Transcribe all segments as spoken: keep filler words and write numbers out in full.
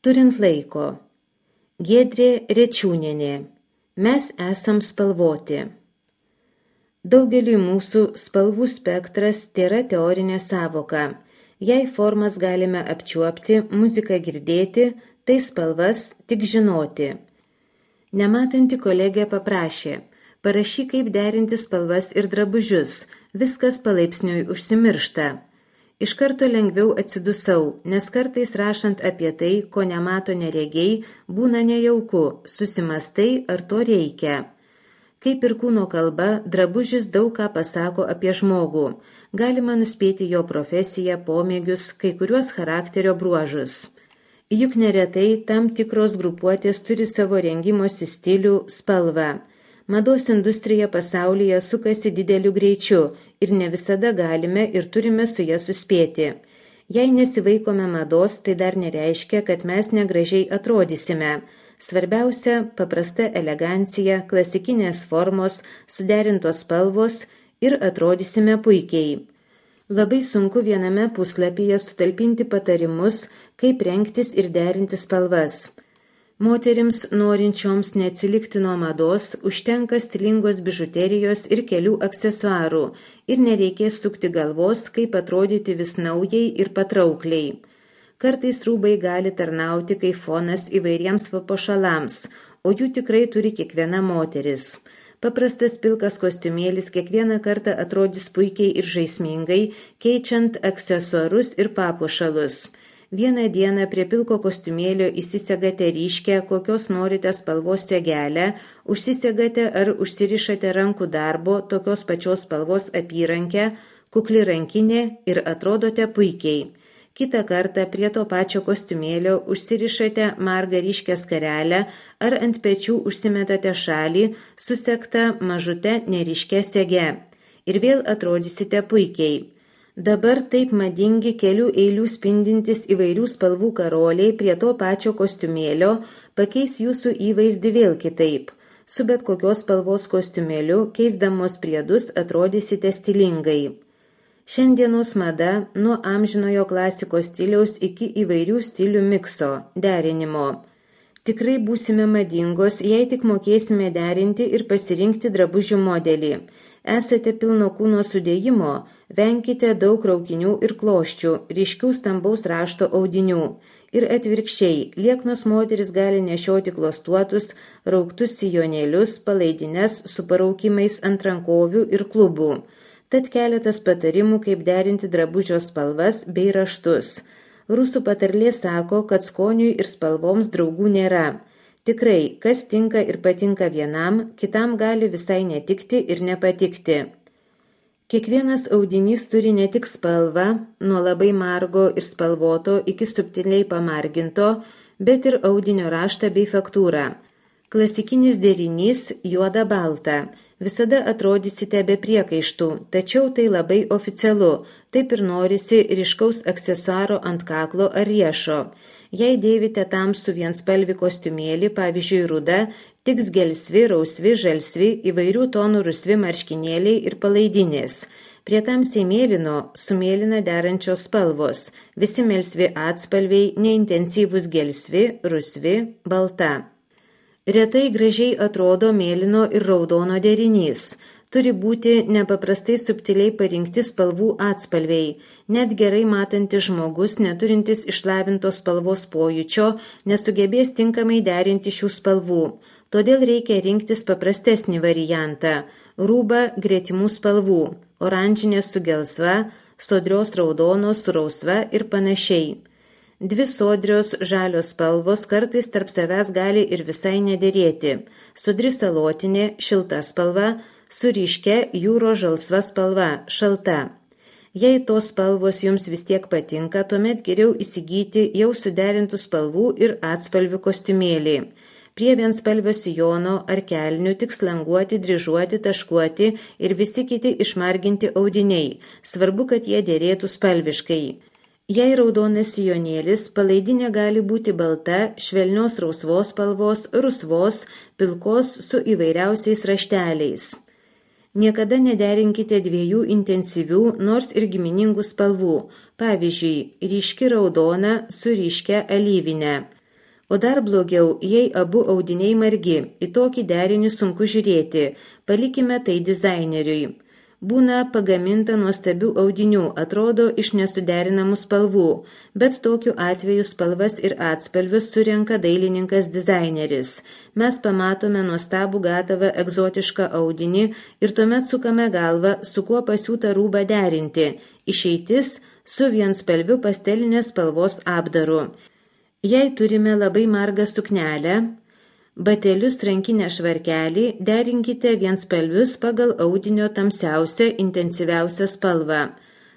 Turint laiko. Giedrė Rečiūnienė. Mes esam spalvoti. Daugeliui mūsų spalvų spektras tėra teorinė sąvoka. Jei formas galime apčiuopti, muziką girdėti, tai spalvas tik žinoti. Nematanti kolegė paprašė, parašyk, kaip derinti spalvas ir drabužius, viskas palaipsniui užsimiršta. Iš karto lengviau atsidusau, nes kartais rašant apie tai, ko nemato neregiai, būna nejauku, susimastai, ar to reikia. Kaip ir kūno kalba, drabužis daug ką pasako apie žmogų. Galima nuspėti jo profesiją, pomėgius, kai kuriuos charakterio bruožus. Juk neretai tam tikros grupuotės turi savo rengimosi stilių, spalvą. Mados industrija pasaulyje sukasi dideliu greičiu ir ne visada galime ir turime su ja suspėti. Jei nesivaikome mados, tai dar nereiškia, kad mes negražiai atrodysime. Svarbiausia – paprasta elegancija, klasikinės formos, suderintos spalvos ir atrodysime puikiai. Labai sunku viename puslapyje sutalpinti patarimus, kaip rengtis ir derinti spalvas. Moterims norinčioms neatsilikti nuo mados užtenka stilingos bižuterijos ir kelių aksesuarų ir nereikės sukti galvos, kaip atrodyti vis naujai ir patraukliai. Kartais rūbai gali tarnauti kaip fonas įvairiems papuošalams, o jų tikrai turi kiekviena moteris. Paprastas pilkas kostiumėlis kiekvieną kartą atrodys puikiai ir žaismingai, keičiant aksesuarus ir papuošalus. Vieną dieną prie pilko kostiumėlio įsisegate ryškę, kokios norite spalvos segelę, užsisegate ar užsirišate rankų darbo, tokios pačios spalvos apyrankę, kukli rankinė ir atrodote puikiai. Kitą kartą prie to pačio kostiumėlio užsirišate margą ryškę skarelę ar ant pečių užsimetate šalį, susegtą mažute neryškę sege. Ir vėl atrodysite puikiai. Dabar taip madingi kelių eilių spindintis įvairių spalvų karoliai prie to pačio kostiumėlio pakeis jūsų įvaizdį vėl kitaip. Su bet kokios spalvos kostiumėliu, keisdamos priedus, atrodysite stilingai. Šiandienos mada nuo amžinojo klasikos stiliaus iki įvairių stilių mikso, derinimo. Tikrai būsime madingos, jei tik mokėsime derinti ir pasirinkti drabužių modelį. Esate pilno kūno sudėjimo, venkite daug raukinių ir kloščių, ryškių stambaus rašto audinių. Ir atvirkščiai, lieknos moteris gali nešioti klostuotus, rauktus sijonėlius, palaidines su paraukimais ant rankovių ir klubų. Tad keletas patarimų, kaip derinti drabužio spalvas bei raštus. Rusų patarlė sako, kad skoniui ir spalvoms draugų nėra. Tikrai, kas tinka ir patinka vienam, kitam gali visai netikti ir nepatikti. Kiekvienas audinys turi ne tik spalvą, nuo labai margo ir spalvoto iki subtiliai pamarginto, bet ir audinio raštą bei faktūrą. Klasikinis derinys juoda balta. Visada atrodysite be priekaištų, tačiau tai labai oficialu, taip ir norisi ryškaus aksesuaro ant kaklo ar riešo. Jei dėvite tamsų vienspalvį kostiumėlį, pavyzdžiui rudą, tiks gelsvi, rausvi, žalsvi, įvairių tonų rusvi marškinėliai ir palaidinės. Prie tamsiai mėlyno su mėlyna derančios spalvos, visi melsvi atspalviai, neintensyvus gelsvi, rusvi, balta. Retai gražiai atrodo mėlyno ir raudono derinys. Turi būti nepaprastai subtiliai parinkti spalvų atspalviai. Net gerai matantis žmogus, neturintis išlavintos spalvos pojūčio, nesugebės tinkamai derinti šių spalvų. Todėl reikia rinktis paprastesnį variantą – rūbą gretimų spalvų, oranžinės su gelsva, sodrios raudonos su rausva ir panašiai. Dvi sodrios žalios spalvos kartais tarp savęs gali ir visai nederėti. Sodri salotinė, šilta spalva, su ryškia jūro žalsva spalva, šalta. Jei tos spalvos jums vis tiek patinka, tuomet geriau įsigyti jau suderintų spalvų ir atspalvių kostiumėlį. Prie vienspalvio sijono ar kelnių tik slanguoti, dryžuoti, taškuoti ir visi kiti išmarginti audiniai. Svarbu, kad jie dėrėtų spalviškai. Jei raudonas sijonėlis, palaidinė gali būti balta, švelnios rausvos spalvos, rusvos, pilkos su įvairiausiais rašteliais. Niekada nederinkite dviejų intensyvių, nors ir giminingų spalvų, pavyzdžiui, ryški raudona su ryškia alyvinė. O dar blogiau, jei abu audiniai margi, į tokį derinį sunku žiūrėti, palikime tai dizaineriui. Būna pagaminta nuostabių audinių, atrodo iš nesuderinamų spalvų, bet tokiu atveju spalvas ir atspalvius surenka dailininkas dizaineris. Mes pamatome nuostabų gatavą egzotišką audinį ir tuomet sukame galvą, su kuo pasiūtą rūbą derinti. Išeitis su vienspalviu pastelinės spalvos apdaru. Jei turime labai margą suknelę, batelius rankinę švarkelį, derinkite vienspalvius pagal audinio tamsiausią, intensyviausią spalvą.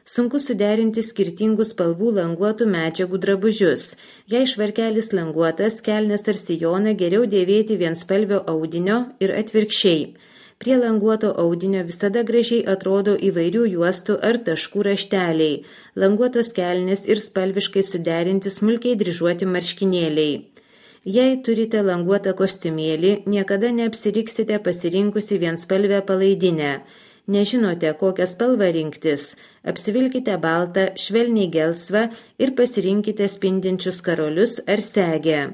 Sunku suderinti skirtingų spalvų languotų medžiagų drabužius. Jei švarkelis languotas, kelnes ar sijoną geriau dėvėti vienspalvio audinio ir atvirkščiai. Prie languoto audinio visada gražiai atrodo įvairių juostų ar taškų rašteliai, languotos kelnės ir spalviškai suderinti smulkiai dryžuoti marškinėliai. Jei turite languotą kostiumėlį, niekada neapsiriksite pasirinkusi vienspalvę palaidinę. Nežinote, kokią spalvą rinktis. Apsivilkite baltą, švelniai gelsvą ir pasirinkite spindinčius karolius ar segę.